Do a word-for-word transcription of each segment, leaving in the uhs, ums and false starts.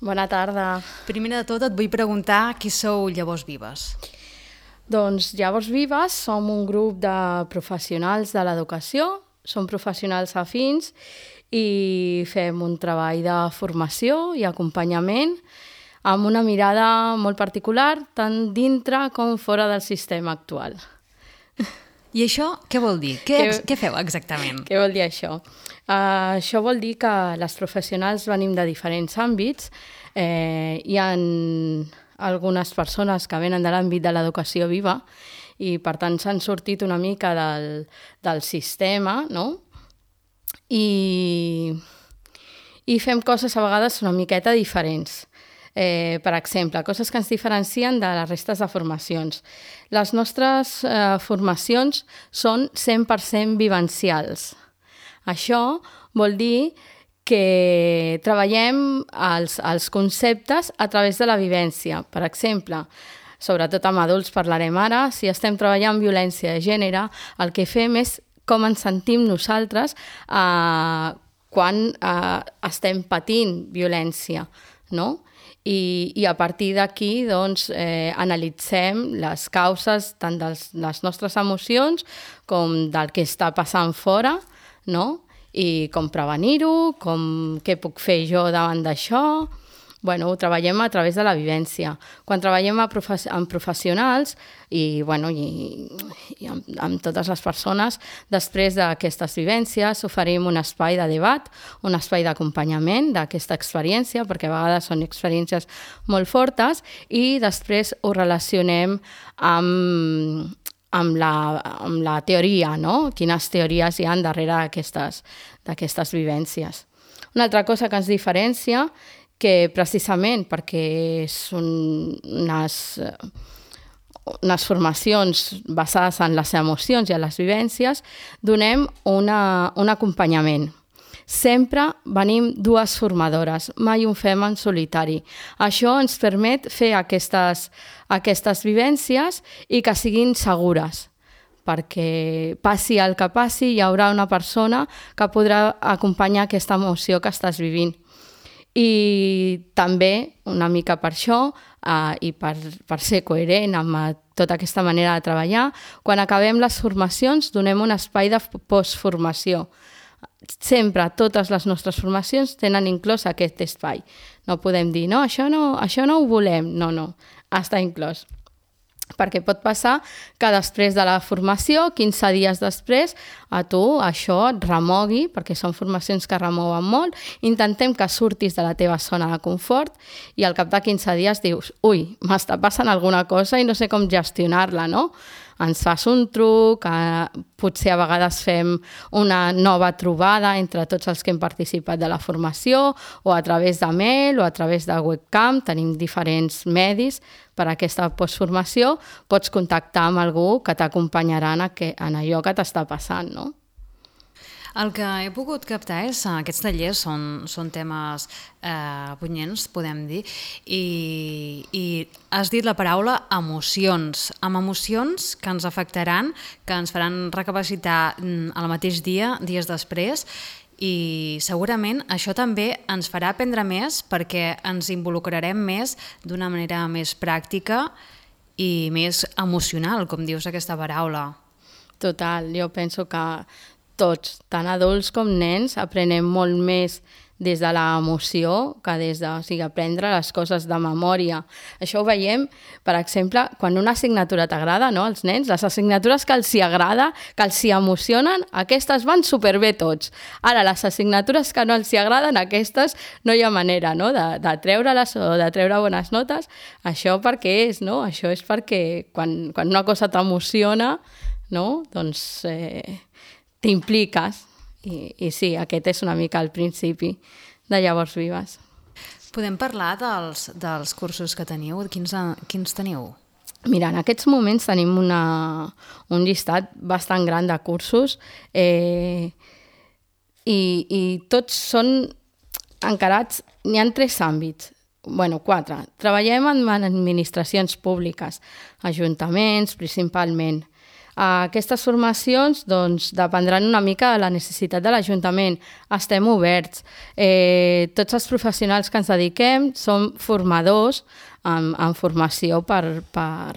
Bona tarda. Primer de tot et vull preguntar qui sou Llavors Vives. Doncs Llavors Vives som un grup de professionals de l'educació, som professionals afins i fem un treball de formació i acompanyament amb una mirada molt particular tant dintre com fora del sistema actual. I això què vol dir? Què, què, què feu exactament? Què vol dir això? Uh, això vol dir que les professionals venim de diferents àmbits. Eh, hi ha algunes persones que venen de l'àmbit de l'educació viva i per tant s'han sortit una mica del, del sistema, no? I, i fem coses a vegades una miqueta diferents. Eh, per exemple, coses que ens diferencien de les restes de formacions. Les nostres eh, formacions són cent per cent vivencials. Això vol dir que treballem els, els conceptes a través de la vivència. Per exemple, sobretot amb adults parlarem ara, si estem treballant violència de gènere, el que fem és com ens sentim nosaltres eh, quan eh, estem patint violència, no? I, i a partir d'aquí doncs, eh, analitzem les causes tant de les nostres emocions com del que està passant fora, no? I com prevenir-ho, com què puc fer jo davant d'això. Bueno, ho treballem a través de la vivència. Quan treballem amb, profe amb professionals i, bueno, i, i amb, amb totes les persones, després d'aquestes vivències oferim un espai de debat, un espai d'acompanyament d'aquesta experiència, perquè a vegades són experiències molt fortes, i després ho relacionem amb, amb, la, amb la teoria, no? Quines teories hi ha darrere d'aquestes vivències. Una altra cosa que ens diferencia que precisament perquè són unes, unes formacions basades en les emocions i en les vivències, donem una, un acompanyament. Sempre venim dues formadores, mai un fem en solitari. Això ens permet fer aquestes, aquestes vivències i que siguin segures, perquè passi el que passi, hi haurà una persona que podrà acompanyar aquesta emoció que estàs vivint. I també, una mica per això, eh, i per, per ser coherent amb tota aquesta manera de treballar, quan acabem les formacions donem un espai de postformació. Sempre, totes les nostres formacions tenen inclòs aquest espai. No podem dir, no, això no, això no ho volem. No, no, està inclòs. Perquè pot passar que després de la formació, quinze dies després, a tu això et remogui, perquè són formacions que remouen molt, intentem que surtis de la teva zona de confort i al cap de quinze dies dius, ui, m'està passant alguna cosa i no sé com gestionar-la, no? Ens fas un truc, eh, potser a vegades fem una nova trobada entre tots els que hem participat de la formació, o a través de mail o a través de webcam, tenim diferents medis per a aquesta postformació, pots contactar amb algú que t'acompanyarà en, en allò que t'està passant, no? El que he pogut captar és que aquests tallers són, són temes eh, punyents, podem dir, i, i has dit la paraula emocions. Amb emocions que ens afectaran, que ens faran recapacitar al mateix dia, dies després, i segurament això també ens farà aprendre més perquè ens involucrarem més d'una manera més pràctica i més emocional, com dius aquesta paraula. Total, jo penso que tots, tant adults com nens, aprenem molt més des de l'emoció que des de, o sigui, aprendre les coses de memòria. Això ho veiem, per exemple, quan una assignatura t'agrada, no?, als nens, les assignatures que els hi agrada, que els hi emocionen, aquestes van superbé tots. Ara, les assignatures que no els hi agraden, aquestes no hi ha manera, no?, de, de treure-les o de treure bones notes. Això per què és, no? Això és perquè quan, quan una cosa t'emociona, no?, doncs eh, t'impliques. I, I sí, aquest és una mica el principi de Llavors Vives. Podem parlar dels, dels cursos que teniu? Quins, quins teniu? Mira, en aquests moments tenim una, un llistat bastant gran de cursos eh, i, i tots són encarats, n'hi ha tres àmbits, bueno, quatre. Treballem en administracions públiques, ajuntaments principalment. Aquestes formacions doncs, dependran una mica de la necessitat de l'Ajuntament. Estem oberts. Eh, tots els professionals que ens dediquem som formadors en, en formació per, per,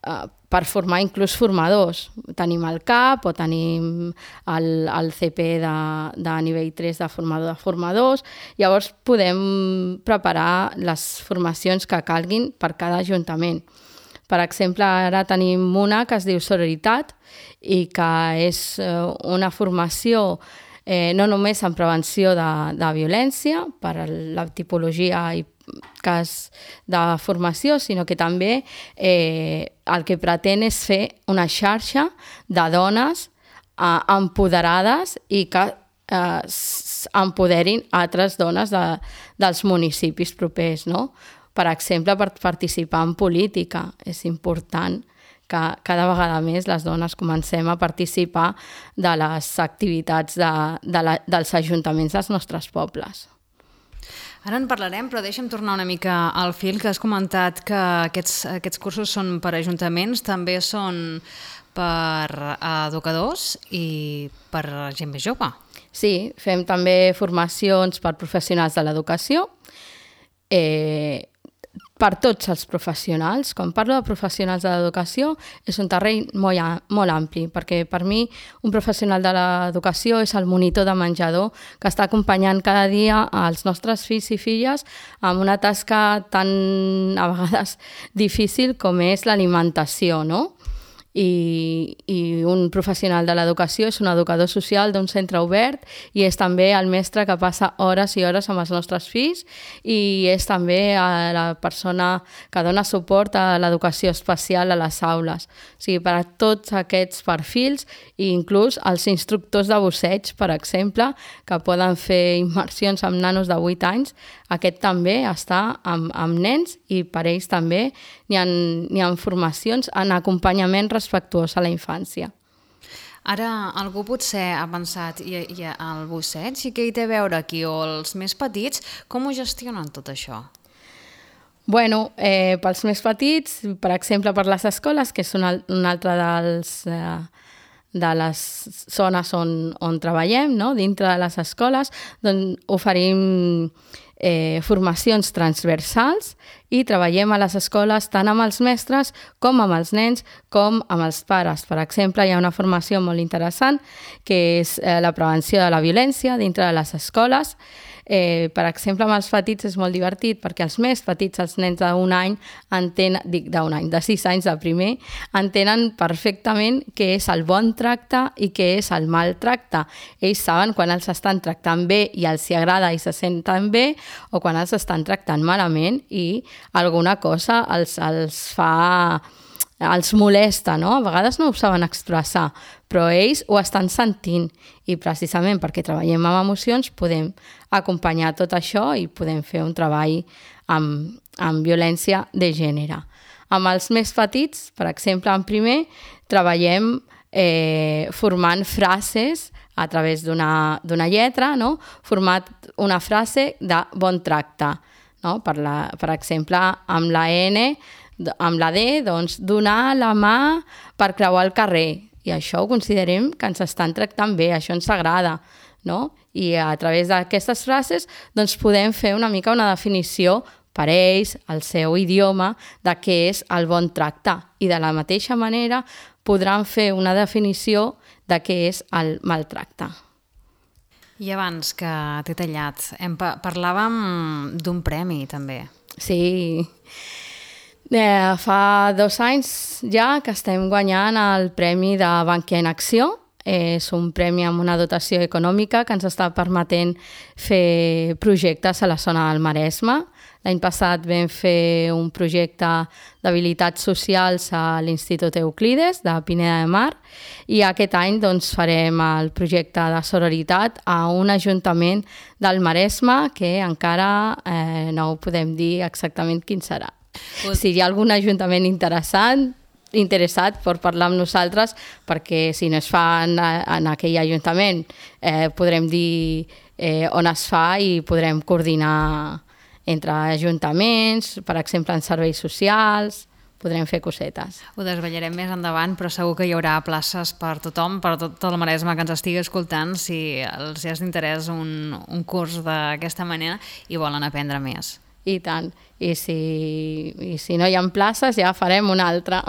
uh, per formar inclús formadors. Tenim el C A P o tenim el, el C P de, de nivell tres de formador de formadors. Llavors podem preparar les formacions que calguin per cada ajuntament. Per exemple, ara tenim una que es diu Sororitat i que és una formació eh, no només en prevenció de, de violència per la tipologia i cas de formació, sinó que també eh, el que pretén és fer una xarxa de dones eh, empoderades i que eh, empoderin altres dones de, dels municipis propers, no? Per exemple, per participar en política. És important que cada vegada més les dones comencem a participar de les activitats de, de la, dels ajuntaments dels nostres pobles. Ara en parlarem, però deixa'm tornar una mica al fil, que has comentat que aquests, aquests cursos són per ajuntaments, també són per educadors i per gent més jove. Sí, fem també formacions per professionals de l'educació, eh, per tots els professionals. Quan parlo de professionals de l'educació és un terreny molt, molt ampli, perquè per mi un professional de l'educació és el monitor de menjador que està acompanyant cada dia als nostres fills i filles amb una tasca tan a vegades difícil com és l'alimentació, no? I, i un professional de l'educació és un educador social d'un centre obert i és també el mestre que passa hores i hores amb els nostres fills i és també la persona que dona suport a l'educació especial a les aules. O sigui, per a tots aquests perfils i inclús els instructors de busseig, per exemple, que poden fer immersions amb nanos de vuit anys, aquest també està amb, amb nens i per ells també n'hi ha, n'hi ha formacions en acompanyament respectuós a la infància. Ara algú potser ha pensat i, i el busseig i què hi té a veure aquí? O els més petits, com ho gestionen tot això? Bueno, eh, pels més petits, per exemple per les escoles, que és una, una altra dels... Eh, de les zones on, on treballem, no? Dintre de les escoles, doncs oferim eh, formacions transversals i treballem a les escoles tant amb els mestres com amb els nens com amb els pares. Per exemple, hi ha una formació molt interessant que és eh, la prevenció de la violència dintre de les escoles. Eh, per exemple, amb els petits és molt divertit perquè els més petits, els nens d'un any, entenen, dic d'un any, de sis anys de primer, entenen perfectament què és el bon tracte i què és el mal tracte. Ells saben quan els estan tractant bé i els hi agrada i se senten bé o quan els estan tractant malament i alguna cosa els, els fa... els molesta, no? A vegades no ho saben expressar, però ells ho estan sentint i precisament perquè treballem amb emocions podem acompanyar tot això i podem fer un treball amb, amb violència de gènere. Amb els més petits, per exemple, en primer, treballem eh, formant frases a través d'una, d'una lletra, no? Format una frase de bon tracte, no? Per, la, per exemple, amb la N, amb la D, doncs, donar la mà per creuar el carrer. I això ho considerem que ens estan tractant bé, això ens agrada, no? I a través d'aquestes frases doncs, podem fer una mica una definició per ells, el seu idioma, de què és el bon tracte. I de la mateixa manera podran fer una definició de què és el maltracte. I abans que t'he tallat, em pa- parlàvem d'un premi, també. Sí. Eh, fa dos anys ja que estem guanyant el premi de Bankia en Acció. És un premi amb una dotació econòmica que ens està permetent fer projectes a la zona del Maresme. L'any passat vam fer un projecte d'habilitats socials a l'Institut Euclides de Pineda de Mar i aquest any doncs, farem el projecte de sororitat a un ajuntament del Maresme que encara eh, no ho podem dir exactament quin serà. Si hi ha algun ajuntament interessant, interessat per parlar amb nosaltres, perquè si no es fa en, en aquell ajuntament eh, podrem dir eh, on es fa i podrem coordinar entre ajuntaments, per exemple en serveis socials, podrem fer cosetes. Ho desvetllarem més endavant, però segur que hi haurà places per tothom, per tot el Maresme que ens estigui escoltant, si els és d'interès un, un curs d'aquesta manera i volen aprendre més. I tant. I si, i si no hi ha places, ja farem una altra.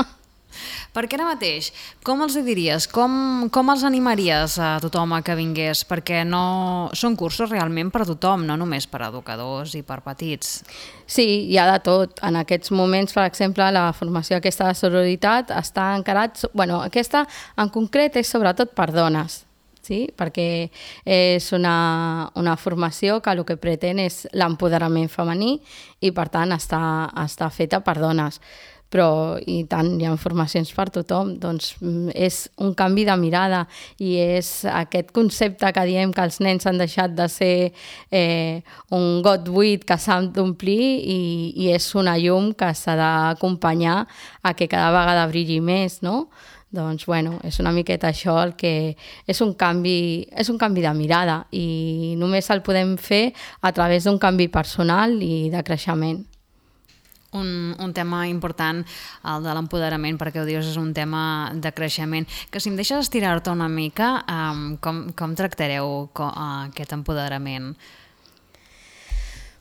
Perquè ara mateix, com els diries, com, com els animaries a tothom a que vingués? Perquè no són cursos realment per a tothom, no només per a educadors i per petits. Sí, hi ha de tot. En aquests moments, per exemple, la formació aquesta de sororitat està encarat... Bueno, aquesta en concret és sobretot per dones, sí? Perquè és una, una formació que el que pretén és l'empoderament femení i, per tant, està, està feta per dones. Però, i tant, hi ha formacions per tothom, doncs és un canvi de mirada i és aquest concepte que diem que els nens han deixat de ser eh, un got buit que s'ha d'omplir i, i és una llum que s'ha d'acompanyar a que cada vegada brilli més, no? Doncs, bueno, és una miqueta això el que és un canvi, és un canvi de mirada i només el podem fer a través d'un canvi personal i de creixement. Un, un tema important, el de l'empoderament, perquè ho dius, és un tema de creixement. Que si em deixes estirar-te una mica, um, com, com tractareu com, uh, aquest empoderament?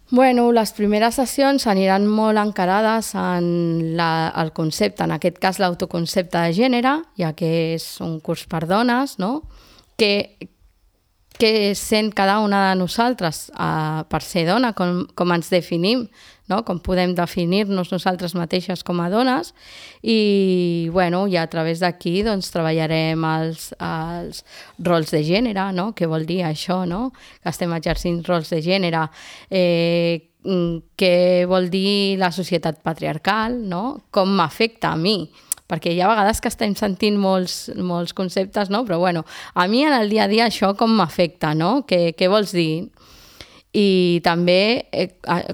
Bueno, les primeres sessions aniran molt encarades en la, el concepte, en aquest cas l'autoconcepte de gènere, ja que és un curs per dones, no? Que, que sent cada una de nosaltres uh, per ser dona, com, com ens definim, no? Com podem definir-nos nosaltres mateixes com a dones i, bueno, i a través d'aquí doncs, treballarem els, els rols de gènere, no? Què vol dir això, no? Que estem exercint rols de gènere, eh, què vol dir la societat patriarcal, no? Com m'afecta a mi, perquè hi ha vegades que estem sentint molts, molts conceptes, no? Però bueno, a mi en el dia a dia això com m'afecta, no? Què, què vols dir? I també eh,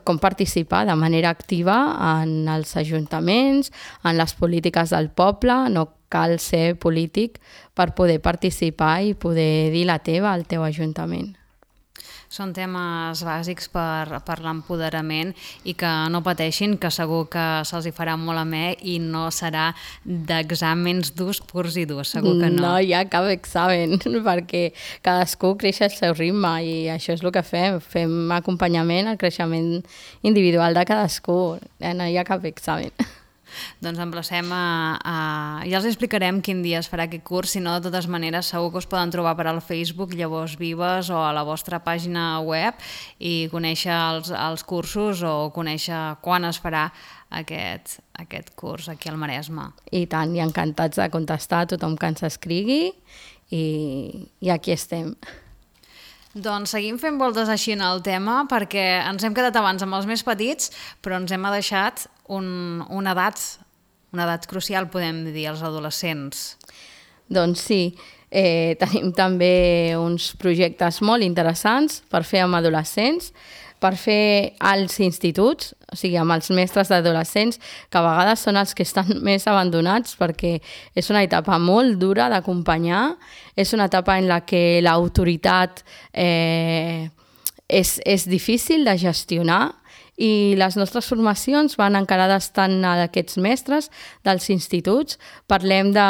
com participar de manera activa en els ajuntaments, en les polítiques del poble, no cal ser polític per poder participar i poder dir la teva al teu ajuntament. Són temes bàsics per, per l'empoderament i que no pateixin, que segur que se'ls hi farà molt amè i no serà d'exàmens durs, purs i durs, segur que no. No hi ha cap examen, perquè cadascú creix al seu ritme i això és el que fem, fem acompanyament al creixement individual de cadascú, no hi ha cap examen. Doncs emplacem a, a... Ja els explicarem quin dia es farà aquest curs, si no, de totes maneres, segur que us poden trobar per al Facebook Llavors Vives o a la vostra pàgina web i conèixer els, els cursos o conèixer quan es farà aquest, aquest curs aquí al Maresme. I tant, i encantats de contestar a tothom que ens escrigui i, i aquí estem. Doncs seguim fent voltes així en el tema perquè ens hem quedat abans amb els més petits, però ens hem deixat un, una edat, una edat crucial, podem dir, els adolescents. Doncs sí, eh, tenim també uns projectes molt interessants per fer amb adolescents, per fer als instituts, o sigui, amb els mestres d'adolescents, que a vegades són els que estan més abandonats perquè és una etapa molt dura d'acompanyar, és una etapa en la que l'autoritat eh, és, és difícil de gestionar i les nostres formacions van encarades tant a aquests mestres dels instituts, parlem de...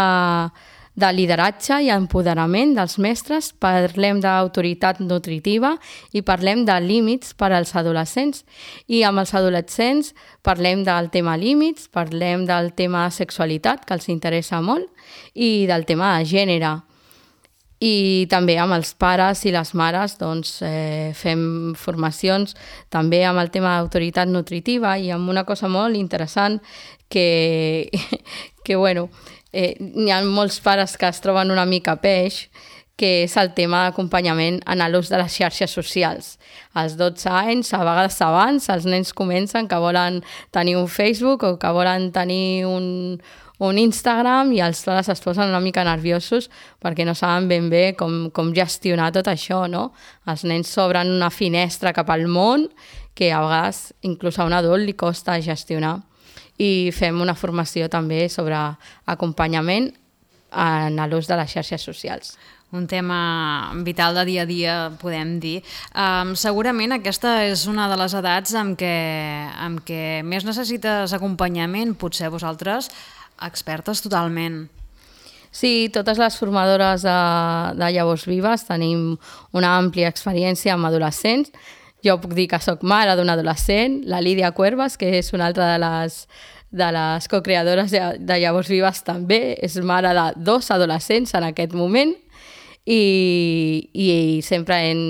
de lideratge i empoderament dels mestres, parlem d'autoritat nutritiva i parlem de límits per als adolescents. I amb els adolescents parlem del tema límits, parlem del tema sexualitat, que els interessa molt, i del tema de gènere. I també amb els pares i les mares doncs, eh, fem formacions també amb el tema d'autoritat nutritiva i amb una cosa molt interessant que, que bueno, Eh, n'hi ha molts pares que es troben una mica peix, que és el tema d'acompanyament en l'ús de les xarxes socials. Als dotze anys, a vegades abans, els nens comencen que volen tenir un Facebook o que volen tenir un, un Instagram i els pares es posen una mica nerviosos perquè no saben ben bé com, com gestionar tot això, no? Els nens s'obren una finestra cap al món que a vegades inclús a un adult li costa gestionar. I fem una formació també sobre acompanyament en l'ús de les xarxes socials. un tema vital de dia a dia, podem dir. Um, segurament aquesta és una de les edats amb què, amb què més necessites acompanyament, potser vosaltres, expertes totalment. Sí, totes les formadores de, de Llavors Vives tenim una àmplia experiència amb adolescents. Jo puc dir que sóc mare d'un adolescent, la Lídia Cuervas, que és una altra de les, de les cocreadores de, de Llavors Vives, també és mare de dos adolescents en aquest moment i, i sempre hem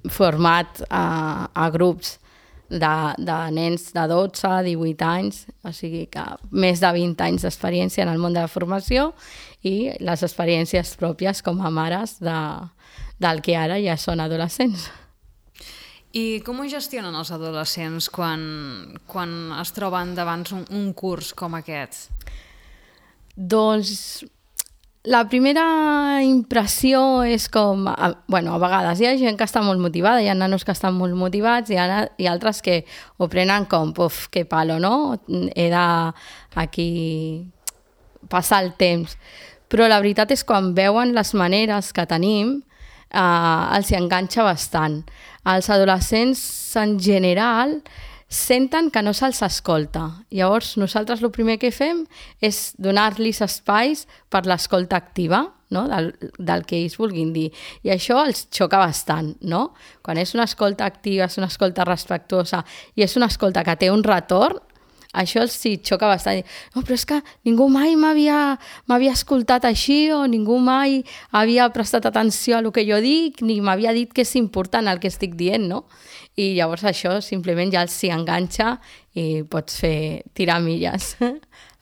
format a, a grups de, de nens de dotze, divuit anys, o sigui que més de vint anys d'experiència en el món de la formació i les experiències pròpies com a mares de, del que ara ja són adolescents. I com ho gestionen els adolescents quan, quan es troben davant un, un curs com aquest? Doncs la primera impressió és com... A, bueno, a vegades hi ha gent que està molt motivada, hi ha nanos que estan molt motivats i, ha, i altres que ho prenen com, puf, que palo, no? He de aquí passar el temps. Però la veritat és quan veuen les maneres que tenim, Uh, els hi enganxa bastant. Els adolescents en general senten que no se'ls escolta. Llavors nosaltres el primer que fem és donar-los espais per l'escolta activa, no? del, del que ells vulguin dir. I això els xoca bastant, no? Quan és una escolta activa, és una escolta respectuosa i és una escolta que té un retorn, això els sí xoca bastant. No, però és que ningú mai m'havia m'havia escoltat així o ningú mai havia prestat atenció a el que jo dic ni m'havia dit que és important el que estic dient, no? I llavors això simplement ja els s'hi enganxa i pots fer tirar milles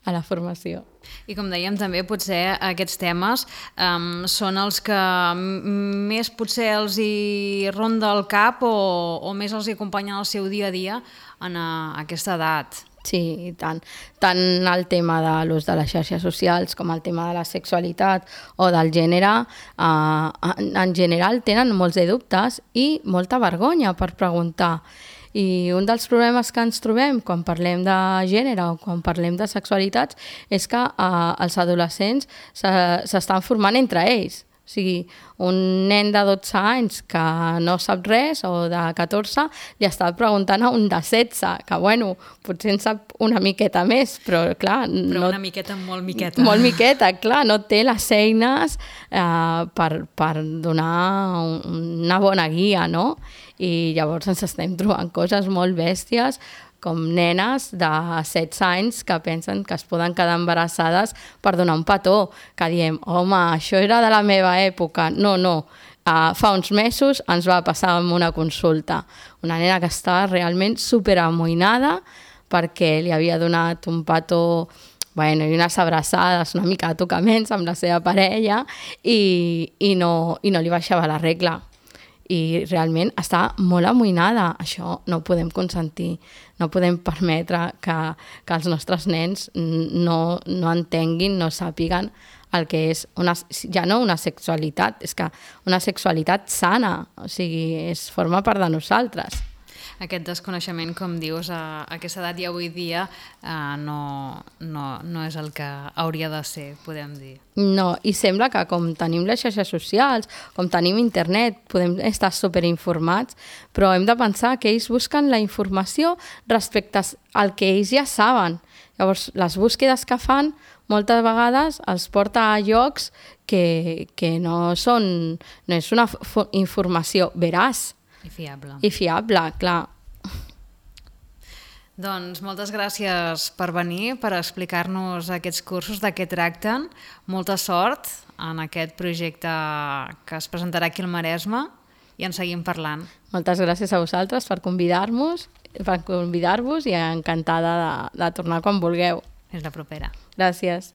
a la formació. I com dèiem també, potser aquests temes um, són els que més potser els hi ronda el cap o, o més els hi acompanyen el seu dia a dia en a, aquesta edat. Sí, i tant. Tant el tema de l'ús de les xarxes socials com el tema de la sexualitat o del gènere, eh, en general tenen molts de dubtes i molta vergonya per preguntar. I un dels problemes que ens trobem quan parlem de gènere o quan parlem de sexualitats és que eh, els adolescents s'estan formant entre ells. O sigui, un nen de dotze anys que no sap res o de catorze li està preguntant a un de setze, que bueno, potser en sap una miqueta més, però clar... Però no, una miqueta, molt miqueta. Molt miqueta, clar, no té les eines eh, per, per donar una bona guia, no? I llavors ens estem trobant coses molt bèsties com nenes de setze anys que pensen que es poden quedar embarassades per donar un petó, que diem, home, això era de la meva època. No, no, uh, fa uns mesos ens va passar amb una consulta. Una nena que estava realment superamoïnada perquè li havia donat un petó, bueno, i unes abraçades, una mica de tocaments amb la seva parella i, i, no, i no li baixava la regla. I realment està molt amoïnada. Això no ho podem consentir, no podem permetre que, que els nostres nens no, no entenguin, no sàpiguen el que és una, ja no una sexualitat, és que una sexualitat sana, o sigui, és, forma part de nosaltres. Aquest desconeixement, com dius, a aquesta edat i avui dia eh, no, no, no és el que hauria de ser, podem dir. No, i sembla que com tenim les xarxes socials, com tenim internet, podem estar superinformats, però hem de pensar que ells busquen la informació respecte al que ells ja saben. Llavors, les búsquedes que fan moltes vegades els porta a llocs que, que no són, no és una informació veraç. I fiable. I fiable, clar. Doncs moltes gràcies per venir, per explicar-nos aquests cursos de què tracten. Molta sort en aquest projecte que es presentarà aquí al Maresme i en seguim parlant. Moltes gràcies a vosaltres per convidar-nos, per convidar-vos i encantada de, de tornar quan vulgueu. Fins la propera. Gràcies.